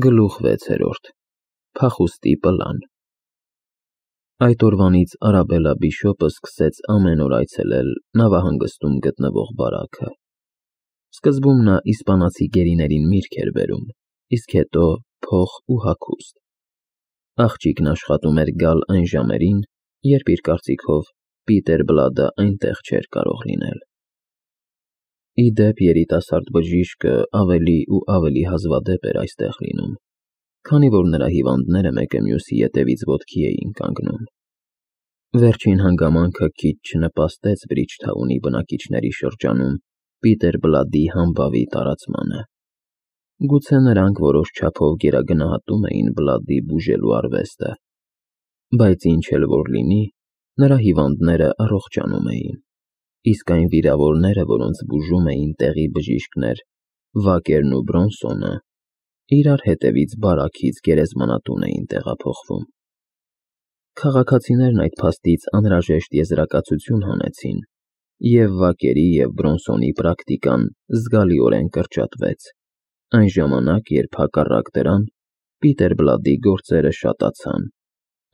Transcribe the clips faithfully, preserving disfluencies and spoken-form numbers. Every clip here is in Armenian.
Գլուխ վեցերորդ Փախուստի պլան Այդ օրվանից Արաբելլա բիշոպը սկսեց ամեն օր այցելել նավահանգստում գտնվող բարաքը։ Սկզբում նա իսպանացի գերիներին միրգ էր բերում, իսկ հետո փող ու հագուստ։ Աղջիկն աշխատում էր գալ այն ժամերին, երբ իր կարծիքով Պիտեր Բլադը այնտեղ չէր կարող լինել։ Ի դեպ, երիտասարդ բժիշկը ավելի ու ավելի հազվադեպ էր այստեղ լինում, քանի որ նրա հիվանդները մեկը մյուսի ետևից ոտքի էին կանգնում։ Վերջին հանգամանքը քիչ չնպաստեց Բրիջթաունի բնակիչների շրջանում Պիտեր Բլադի համբավի տարածմանը։ Գուցե նրանք որոշ չափով գերագնահատում էին Բլադի բուժելու արվեստը, բայց ինչ էլ որ լինի, նրա հիվանդները առողջանում էին, իսկ այն վիրավորները, որոնց բուժում էին տեղի բժիշկներ Վակերն ու Բրոնսոնը, իրար հետևից բարաքից գերեզմանատուն էին տեղափոխվում։ Քաղաքացիներն այդ փաստից անհրաժեշտ եզրակացություն հանեցին, և Վակերի և Բրոնսոնի պրակտիկան զգալիորեն կրճատվեց, այն ժամանակ, երբ հակառակ դրան Պիտեր Բլադի գործերը շատացան,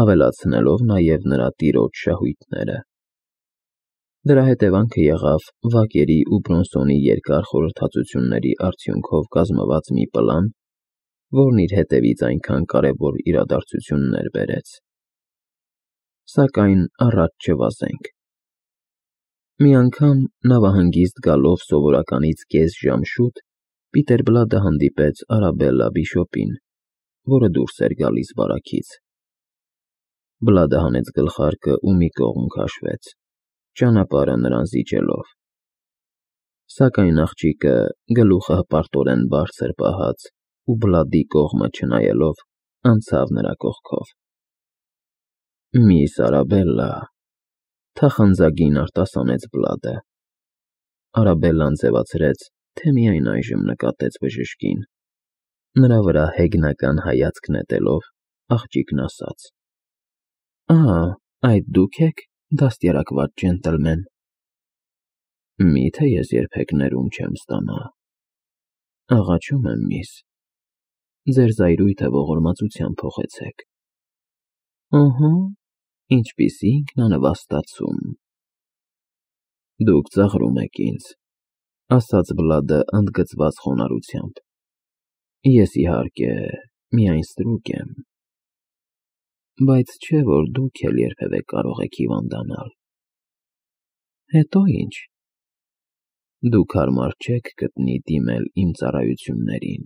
ավելացնելով նաև նրա տիրոջ շահույթները։ Դրա հետևանքը եղավ Վակերի ու Բրոնսոնի երկար խորհրդածությունների արդյունքով կազմված մի պլան, որն իր հետևից այնքան կարևոր իրադարձություններ բերեց։ Սակայն առաջ չվազենք։ Մի անգամ նավահանգիստ գալով սովորականից կես ժամ շուտ Պիտեր Բլադը հանդիպեց Արաբելլա բիշոպին, որը դուրս էր գալիս բարաքից։ Բլադը հանեց գլխարկը ու մի կողմ քաշվեց, ճանապարհը նրան զիջելով։ Սակայն աղջիկը, գլուխը հպարտորեն բարձր պահած ու Բլադի կողմը չնայելով, անցավ նրա կողքով։ Միս Արաբելլա, թախանձագին արտասանեց Բլադը։ Արաբելլան ձևացրեց, թե միայն այժմ նկատեց բժշկին։ Նրա վրա հեգնական հայացք նետելով, աղջիկն ասաց. Ա, այդ դուք եք, դաստիարակված ջենտլմեն։ Միթե ես երբեք ներում չեմ ստանա։ Աղաչում եմ, միս, ձեր զայրույթը ողորմածությամբ փոխեցեք։ Ըհը, ինչպիսի ինքնանվաստացում։ Դուք ծաղրում եք ինձ, ասաց Բլադը ընդգծված խոնարհությամբ։ Ես, իհարկե, միայն ստրուկ եմ, բայց չէ՞ որ դուք էլ երբևէ կարող եք հիվանդանալ։ Հետո ինչ։ Դուք հարմար չեք գտնի դիմել իմ ծառայություններին,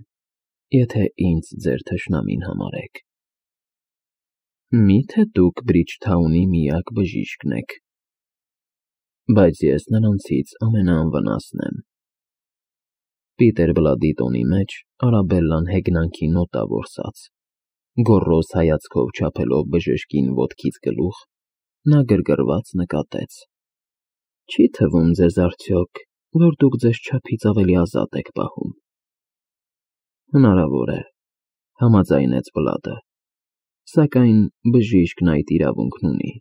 եթե ինձ ձեր թշնամին համարեք։ Միթե դուք Բրիջթաունի միակ բժիշկն եք։ Բայց ես նրանցից ամենաանվնասն եմ։ Պիտեր Բլադի տոնի մեջ Արաբելլան հեգնանքի նոտա որսաց։ Գոռոզ հայացքով չափելով բժշկին ոտքից գլուխ, նա գրգռված նկատեց. Չի թվում ձեզ արդյոք, որ դուք ձեզ չափից ավելի ազատ եք պահում։ Հնարավոր է, համաձայնեց Բլադը, սակայն բժիշկն այդ իրավունքն ունի։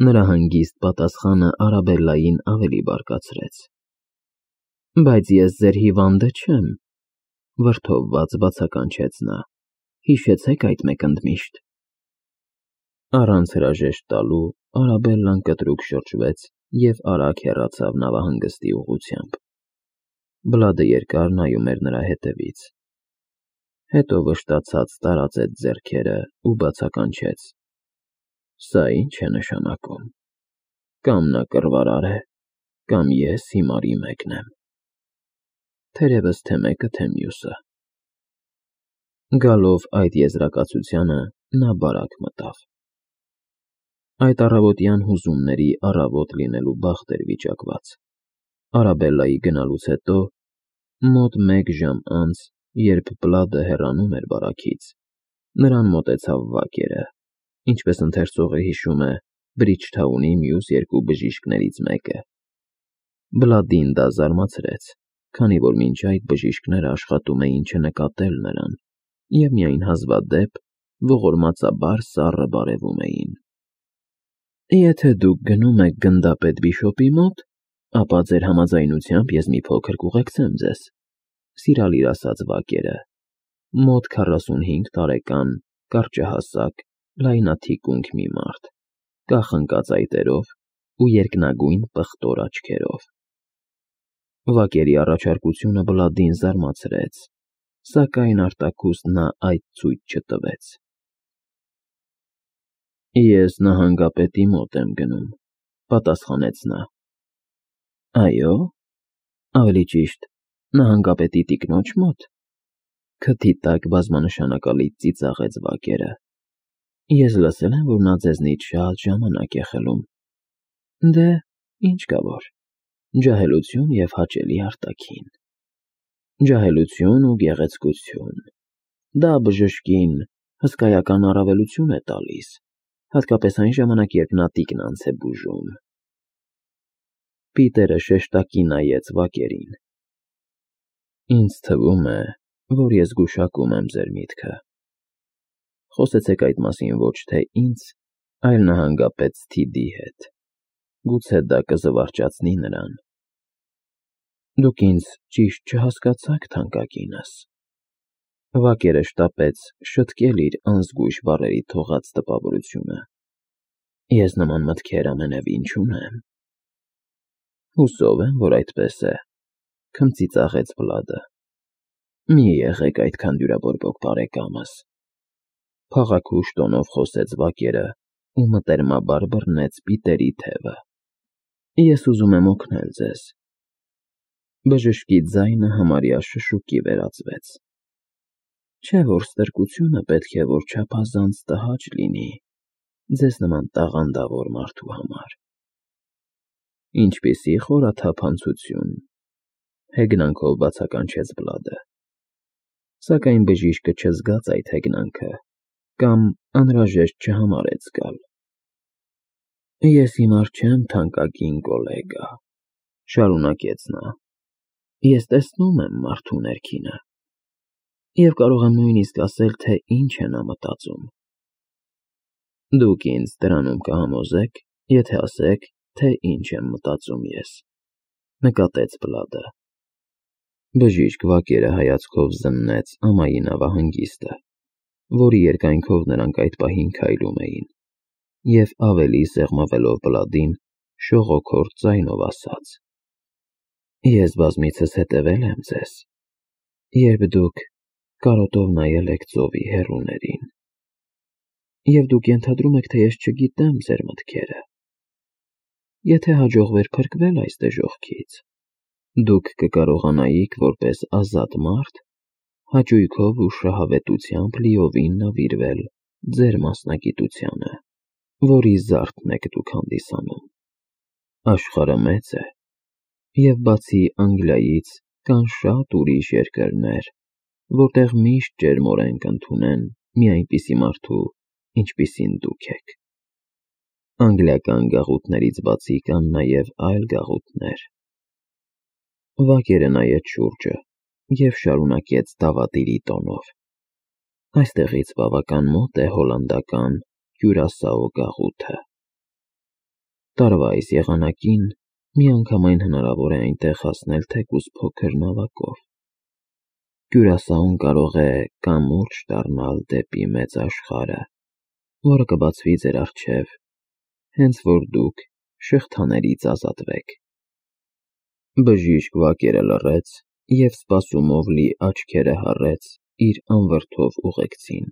Նրա հանգիստ պատասխանը Արաբելլային ավելի բարկացրեց։ Բայց ես ձեր հիվանդը չեմ, վրդովված բացականչեց նա, հիշեցեք այդ մեկ ընդմիշտ։ Առանց հրաժեշտ տալու Արաբելլան կտրուկ շրջվեց և արագ հեռացավ նավահանգստի ուղղությամբ։ Բլադը երկար նայում էր նրա հետևից։ Հետո վշտացած տարածեց ձեռքերը ու բացականչեց. Սա ի՞նչ է նշանակում։ Կամ նա կռվարար է, կամ ես հիմարի մեկն եմ։ Թերևս թե մեկը, թե մյուսը։ Գալով այդ եզրակացությանը, նա բարակ մտավ։ Այդ առավոտյան հուզումների առավոտ լինելու բախտ էր վիճակված։ Արաբելլայի գնալուց հետո, մոտ մեկ ժամ անց, երբ Բլադը հեռանում էր բարաքից, նրան մոտեցավ Վակերը, ինչպես ընթերցողը հիշում է, Բրիջթաունի մյուս երկու բժիշկներից մեկը։ Բլադին դա զարմացրեց, քանի որ մինչ այդ բժիշկները աշխատում էին չնկատել նրան և միայն հազվադեպ ողորմածաբար սառը բարևում էին։ Եթե դուք գնում եք գնդապետ բիշոպի մոտ, ապա ձեր համաձայնությամբ ես մի փոքր կուղեկցեմ ձեզ, սիրալիր ասաց Վակերը։ Մոտ քառասունհինգ տարեկան, կարճահասակ, լայնաթիկունք մի մարդ, կախնկած այտերով ու երկնագույն պղտոր աչքերով։ Վակերի առաջարկությունը Բլադին զարմացրեց, սակայն արտաքուստ նա այդ ցույց չտվեց։ Ես նահանգապետի մոտ եմ գնում, պատասխանեց նա։ Այո, ավելի ճիշտ, նահանգապետի տիկնոջ մոտ։ Քթի տակ բազմանշանակալից ծիծաղեց Վակերը։ Ես լսել եմ, որ նա ձեզնից շատ ժամանակ է խլում։ Դե, ինչ կա որ, ջահելություն և հաճելի արտաքին։ Ջահելություն ու գեղեցկություն, դա բժշկին հսկայական առավելություն է տալիս, հատկապես այն ժամանակ, երբ նա տիկնանց է բուժում։ Պիտերը շեշտակի նայեց Վակերին։ Ինձ թվում է, որ ես գուշակում եմ ձեր միտքը։ Խոսեցեք այդ մասին ոչ թե ինձ, այլ նահանգապետ Սթիդի հետ։ Գուցե դա կզվարճացնի նրան։ Դուք ինձ ճիշտ չհասկացաք, թանկագինս։ Վակերը շտապեց շտկել իր անզգույշ բառերի թողած տպավորությունը։ Ես նման մտքեր ամենևին չունեմ։ Հուսով եմ, որ այդպես է, քմծիծաղեց Բլադը։ Մի եղեք այդքան դյուրաբորբոք, բարեկամս։ Փաղաքուշ տոնով խոսեց Վակերը ու մտերմաբար բռնեց պիտերի թևը։ Ես ուզում եմ օգնել ձեզ։ Բժշկի ձայնը համարյա շշուկի վերածվեց։ Չէ՞ որ ստրկությունը պետք է որ չափազանց տհաճ լինի ձեզ նման տաղանդավոր մարդու համար։ Ինչպիսի խորաթափանցություն, հեգնանքով բացականչեց Բլադը։ Սակայն բժիշկը չզգաց այդ հեգնանքը կամ անհրաժեշտ չհամարեց զգալ։ Ես հիմար չեմ, թանկագին գոլեգա, շարունակեց նա։ Ես տեսնում եմ մարդու ներքինը և կարող եմ նույնիսկ ասել, թե ինչ է նա մտածում։ Դուք ինձ դրանում կհամոզեք, եթե ասեք, թե ինչ եմ մտածում ես, նկատեց Բլադը։ Բժիշկ Վակերը հայացքով զննեց ամայի նավահանգիստը, որի երկայնքով նրանք այդ պահին քայլում էին, և ավելի սեղմվելով Բլադին, շողոքորթ ձայնով ասաց. Ես բազմիցս հետևել եմ ձեզ, երբ դուք կարոտով նայել եք ծովի հեռուներին, և դուք ենթադրում եք, թե ես չգիտեմ ձեր մտքերը։ Եթե հաջողվեր փրկվել այս դժոխքից, դուք կկարողանայիք որպես ազատ մարդ հաճույքով ու շահավետությամբ լիովին նվիրվել ձեր մասնագիտությանը, որի զարդն եք դուք հանդիսանում։ Աշխարհը մեծ է, և բացի Անգլիայից կան շատ ուրիշ երկրներ, որտեղ միշտ ջերմորեն կընդունեն մի այնպիսի մարդու, ինչպիսին դուք եք։ Անգլիական գաղութներից բացի կան նաև այլ գաղութներ։ Վակերը նայեց շուրջը և շարունակեց դավադիրի տոնով. Այստեղից բավական մոտ է հոլանդական Կյուրասաո գաղութը։ Տարվա այս եղանակին միանգամայն հնարավոր է այնտեղ հասնել թեկուզ փոքր նավակով։ Կյուրասաուն կարող է կամուրջ դառնալ դեպի մեծ աշխարհը, որը կբացվի ձեր առջև, հենց որ դուք շղթաներից ազատվեք։ Բժիշկ Վակերը լռեց և սպասումով լի աչքերը հառեց իր անվրդով ուղեկցին։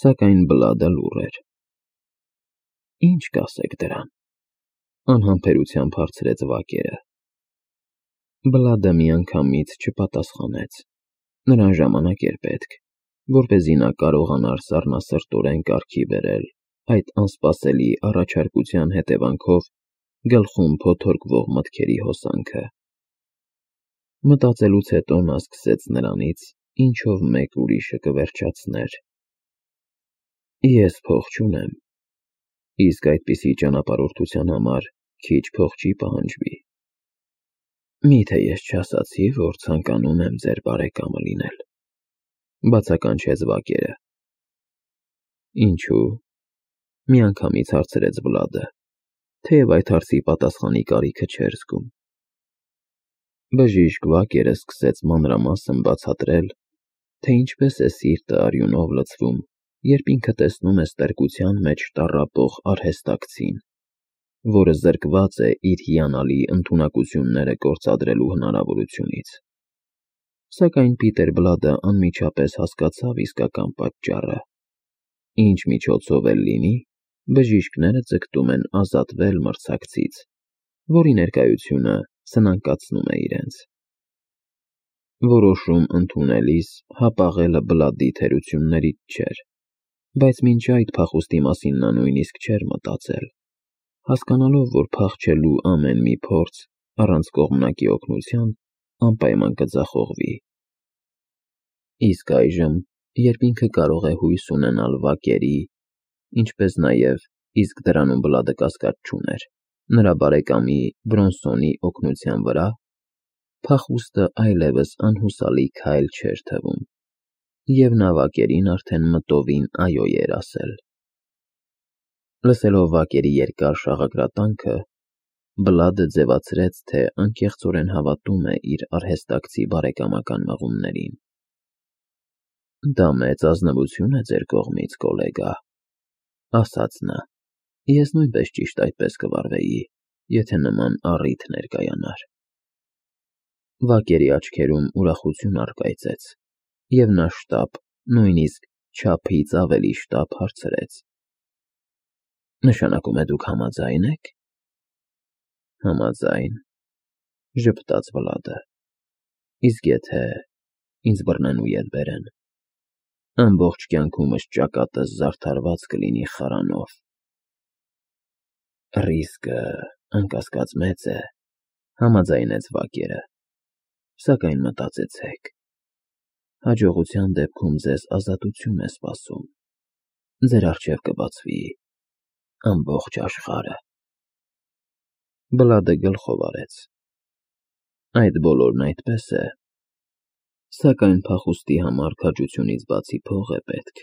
Սակայն Բլադը լուռ էր։ Ինչ կասեք դրան, անհամբերությամբ հարցրեց Վակերը։ Բլադը միանգամից չպատասխանեց։ Նրան ժամանակ էր պետք, որպեսզի նա կարողանար սառնասրտորեն կարգի բերել այդ անսպասելի առաջարկության հետևանքով գլխում փոթորկվող մտքերի հոսանքը։ Մտածելուց հետո նա սկսեց նրանից, ինչով մեկ ուրիշը կվերջացներ. Ես փող չունեմ, իսկ այդպիսի ճանապարհորդության համար քիչ փող չի պահանջվի։ Մի՞թե ես չասացի, որ ցանկանում եմ ձեր բարեկամը լինել, բացականչեց Վակերը։ Ինչու՞, միանգամից հարցրեց Բլադը, թեև այդ հարցի պատասխանի կարիքը չէր զգում։ Բժիշկ Վակերը սկսեց մանրամասն բացատրել, թե ինչպես է սիրտը արյունով լցվում, երբ ինքը տեսնում է ստրկության մեջ տառապող արհեստակցին, որը զրկված է իր հիանալի ընդունակությունները գործադրելու հնարավորությունից։ Սակայն Պիտեր Բլադը անմիջապես հասկացավ իսկական պատճառը. ինչ միջոցով էլ լինի, բժիշկները ձգտում են ազատվել մրցակցից, որի ներկայությունը սնանկացնում է իրենց։ Որոշում ընդունելիս հապաղելը Բլադի թերություններից չէր, բայց մինչ այդ փախուստի մասին նա նույնիսկ չէր մտածել, հասկանալով, որ փախչելու ամեն մի փորձ առանց կողմնակի օգնության անպայման կձախողվի։ Իսկ այժմ, երբ ինքը կարող է հույս ունենալ Վակերի, ինչպես նաև, իսկ դրանում Բլադը կասկած չուներ, նրա բարեկամի Բրոնսոնի օգնության վրա, փախուստը այլևս անհուսալի քայլ չէր թվում, և նա Վակերին արդեն մտովին այո էր ասել։ Լսելով Վակերի երկար շաղակրատանքը, Բլադը ձևացրեց, թե անկեղծորեն հավատում է իր արհեստակցի բարեկամական մղումներին։ Դա մեծ ազնվություն է ձեր կողմից, գոլեգա, ասաց նա, ես նույնպես ճիշտ այդպես կվարվեի, եթե նման առիթ ներկայանար։ Վակերի աչքերում ուրախություն առկայծեց, և նա շտապ, նույնիսկ չափից ավելի շտապ հարցրեց. Նշանակում է դուք համաձա՞յն եք։ Համաձայն, ժպտաց Բլադը, իսկ եթե ինձ բռնեն ու ետ բերեն, ամբողջ կյանքումս ճակատս զարդարված կլինի խարանով։ Ռիսկը անկասկած մեծ է, համաձայնեց Վակերը, սակայն մտածեցեք, հաջողության դեպքում ձեզ ազատություն է սպասում, ձեր առջև կբացվի ամբողջ աշխարհը։ Բլադը գլխով արեց։ Այդ բոլորն այդպես է, սակայն փախուստի համար քաջությունից բացի փող է պետք։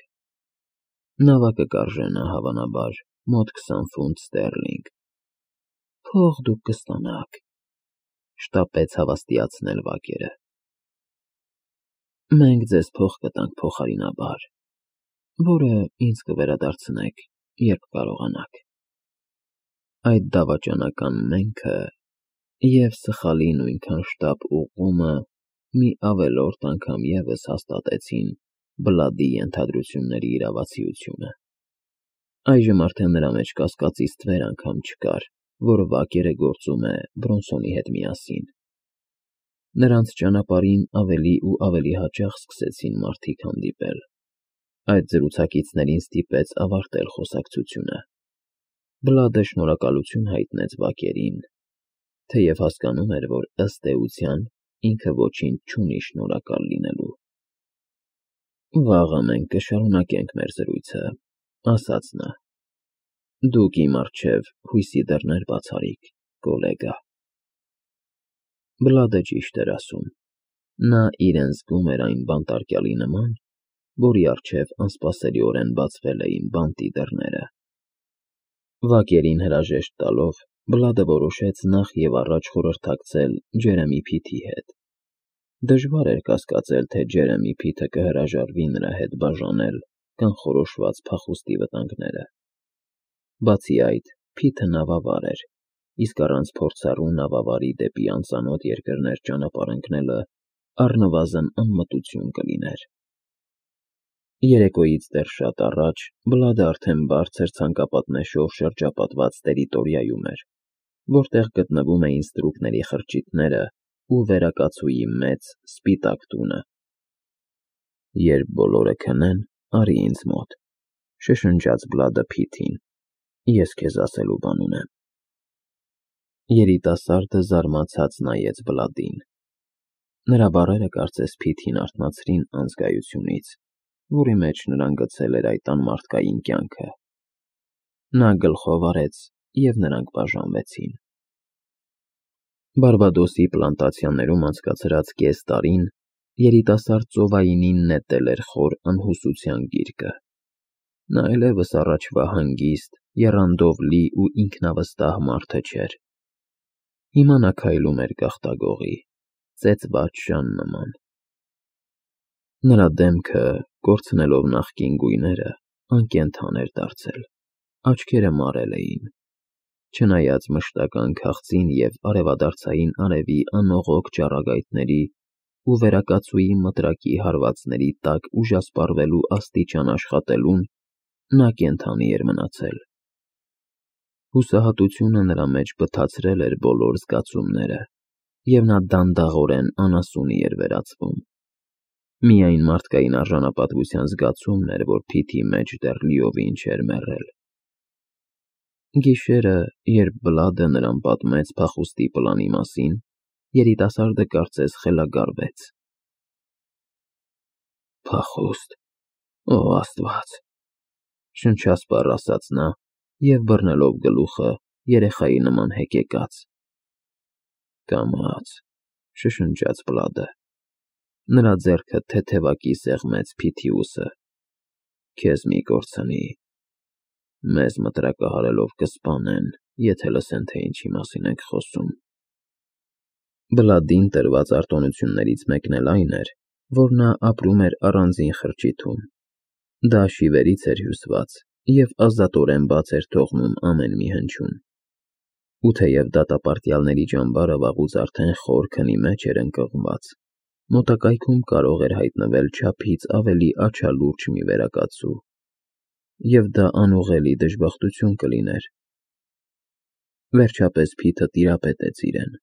Նավակը կարժենա, հավանաբար, մոտ քսան ֆունտ ստերլինգ։ Փող դուք կստանաք, շտապեց հավաստիացնել Վակերը։ Մենք ձեզ փող կտանք փոխարինաբար, որը ինձ կվերադարձնեք, երբ կարողանաք։ Այդ դավաճանական «մենք»-ը և սխալի նույնքան շտապ ուղղումը մի ավելորդ անգամ ևս հաստատեցին Բլադի ենթադրությունների իրավացիությունը։ Այժմ արդեն նրա մեջ կասկածից ստվեր անգամ չկար, որ Վակերը գործում է Բրոնսոնի հետ միասին։ Նրանց ճանապարհին ավելի ու ավելի հաճախ սկսեցին մարդիկ հանդիպել։ Այդ զրուցակիցներին ստիպեց ավարտել խոսակցությունը։ Բլադը շնորհակալություն հայտնեց Վակերին, թեև հասկանում էր, որ ըստ էության ինքը ոչինչ չունի շնորհակալ լինելու։ Վաղը մենք կշարունակենք մեր զրույցը, ասաց նա։ Դուք իմ առջև հույսի դռներ բացարիք, գոլեգա։ Բլադը ճիշտ էր ասում։ Նա իրեն զգում էր այն բանտարկյալի նման, որի առջև անսպասելիորեն բացվել էին բանտի դռները։ Վակերին հրաժեշտ տալով, Բլադը որոշեց նախ և առաջ խորհրդակցել Ջերեմի Փիթի հետ։ Դժվար էր կասկածել, թե Ջերեմի Փիթը կհրաժարվի նրա հետ բաժանել կանխորոշված փախուստի վտանգները։ Բացի այդ, Փիթը նավավար էր, իսկ առանց փորձառու նավավարի դեպի անծանոթ երկրներ ճանապարհ ընկնելը առնվազն անմտություն կլիներ։ Երեկոյից դեռ շատ առաջ Բլադը արդեն բարձր ցանկապատնեշով շրջապատված տերիտորիայում էր, որտեղ գտնվում էին ստրուկների խրճիթները ու վերակացուի մեծ, սպիտակ տունը։ Երբ բոլորը քնեն, արի ինձ մոտ, շշնջաց Բլադը Փիթին, ես քեզ ասելու բան ունեմ։ Երիտասարդը զարմացած նայեց Բլադին։ Նրա բառերը կարծես Փիթին արթնացրին անզգայությունից, որի մեջ նրան գցել էր այդ անմարդկային կյանքը։ Նա գլխով արեց, և նրանք բաժանվեցին։ Բարբադոսի պլանտացիաներում անցկացրած կես տարին երիտասարդ ծովայինին նետել էր խոր անհուսության գիրկը։ Նա այլևս առաջվա հանգիստ, եռանդով լի ու ինքնավստահ մարդը չէր։ Հիմա նա քայլում էր գաղտագողի, ծեծված ժան նման։ Նրա դեմքը, կորցնելով նախկին գույները, անկենդան էր դարձել, աչքերը մարել էին, չնայած մշտական քաղցին և արևադարձային արևի անողոք ճառագայթների ու վերակացուի մտրակի հարվածների տակ ուժասպառվելու աստիճան աշխատելուն, նա կենդանի էր մնացել։ Հուսահատությունը նրա մեջ բթացրել էր բոլոր զգացումները, և նա դանդաղորեն անասունի էր վերածվում։ Միայն մարդկային արժանապատվության զգացումն էր, որ փիթի մեջ դեռ լիովին չէր մեռել։ Գիշերը, երբ Բլադը նրան պատմեց փախուստի պլանի մասին, երիտասարդը կարծես խելագարվեց։ «Փախուստ, օ Աստված», շնչասպառ ասաց նա և բռնելով գլուխը, երեխայի նման հեկեկաց։ «Կամաց», շշնջաց Բլադը։ Նրա ձեռքը թեթևակի սեղմեց Փիթիուսը։ «Քեզ մի կորցնի, մեզ մտրակահարելով կսպանեն, եթե լսեն, թե ինչի մասին ենք խոսում»։ Բլադին տրված արտոնություններից մեկն էլ այն էր, որ նա ապրում էր առանձին խրճիթում։ Դա շիվերից էր հյուսված և ազատորեն բաց էր թողնում ամեն մի հնչյուն։ Ու թեև դատապարտյալների ճամբարը վաղուց արդեն խոր քնի մեջ էր ընկղմված, մոտակայքում կարող էր հայտնվել չափից ավելի աչալուրջ մի վերակացու, և դա անուղղելի դժբախտություն կլիներ։ Վերջապես Փիթը տիրապետեց իրեն։